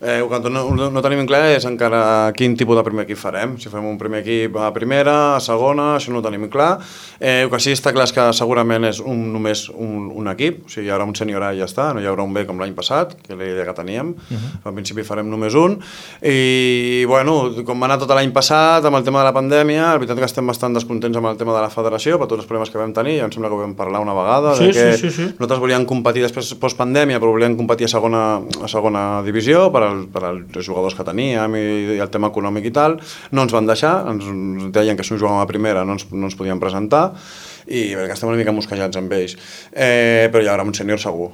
Quan no tenim clar és encara quin tipus de primer equip farem. Si fem un primer equip a primera, a segona, això no ho tenim clar. El que sí està clar és que segurament és només un equip, o sigui, hi haurà un sènior A i ja està, no hi haurà un B com l'any passat, que era la idea que teníem. Al principi farem només un. I, bueno, com va anar tot l'any passat, amb el tema de la pandèmia, la veritat que estem bastant descontents amb el tema de la federació, per tots els problemes que vam tenir, ja em sembla que ho vam parlar una vegada, Sí. Nosaltres volíem competir després post-pandèmia, però volíem competir a segona divisió per als jugadors que teníem i el tema econòmic i tal. No ens van deixar, ens deien que si no jugàvem a primera no ens podíem presentar i que estem una mica mosquejats amb ells. Però hi haurà un sènior segur.